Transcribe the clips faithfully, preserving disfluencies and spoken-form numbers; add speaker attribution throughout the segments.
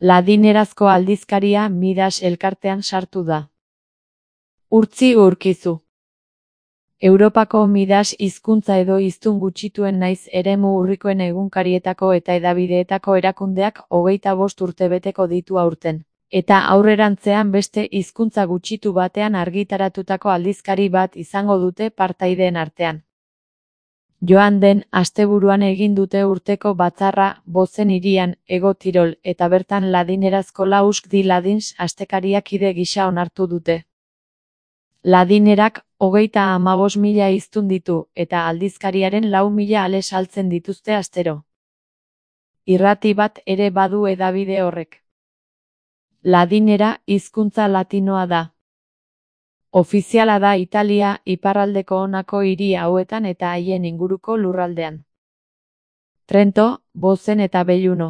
Speaker 1: Ladinerazko aldizkaria Midas elkartean sartu da. Urtzi Urkizu. Europako Midas hizkuntza edo hiztun gutxituen naiz eremu urrikoen egunkarietako eta hedabideetako erakundeak hogeita bost urte beteko ditu aurten, eta aurrerantzean beste hizkuntza gutxitu batean argitaratutako aldizkari bat izango dute partaideen artean. Joan den asteburuan egin dute urteko batzarra Bozen hirian, Hego Tirol, eta bertan ladinerazko Lausk di Ladins astekariak kide gisa onartu dute. Ladinerak hogeita hamabost mila hiztun ditu, eta aldizkariaren lau mila ale saltzen dituzte astero. Irrati bat ere badu hedabide horrek. Ladinera hizkuntza latinoa da. Ofiziala da Italia iparraldeko honako hiri hauetan eta haien inguruko lurraldean. Trento, Bozen eta Belluno.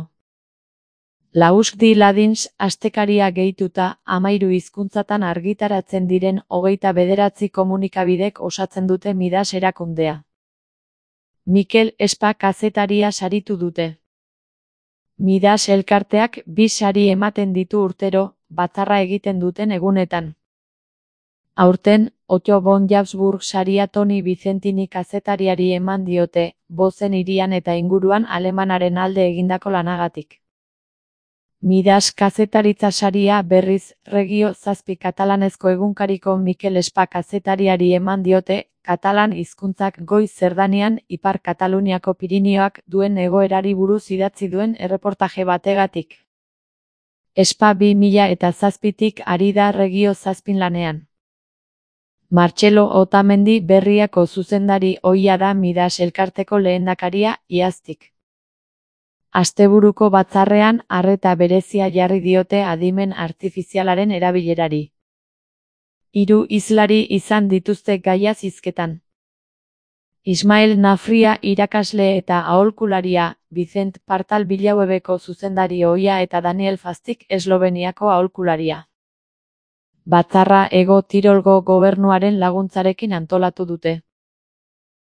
Speaker 1: Lausk di Ladins astekaria gehituta hamairu hizkuntzatan argitaratzen diren hogeita bederatzi komunikabidek osatzen dute Midas erakundea. Mikel Espa kazetaria saritu dute. Midas elkarteak bi sari ematen ditu urtero, batzarra egiten duten egunetan. Aurten, Otto von Habsburg saria Toni Vicentini kazetariari eman diote, Bozen hirian eta inguruan Alemanaren alde egindako lanagatik. Midas kazetaritza saria berriz, Regio zazpi katalanezko egunkariko Mikel Espa kazetariari eman diote, katalan hizkuntzak goiz zerdanean Ipar Kataluniako Pirinioak duen egoerari buruz idatzi duen erreportaje bategatik. Espa bi mila eta zazpitik ari da Regio zazpin lanean. Martxelo Otamendi Berriako zuzendari ohia da Midas elkarteko lehendakaria iaztik. Asteburuko batzarrean arreta berezia jarri diote adimen artifizialaren erabilerari. Hiru hizlari izan dituzte gaiaz hizketan. Ismael Nafria irakasle eta aholkularia, Vicent Partal Bilauebeko zuzendari ohia eta Daniel Fastik Esloveniako aholkularia. Batzarra Hego Tirolgo gobernuaren laguntzarekin antolatu dute.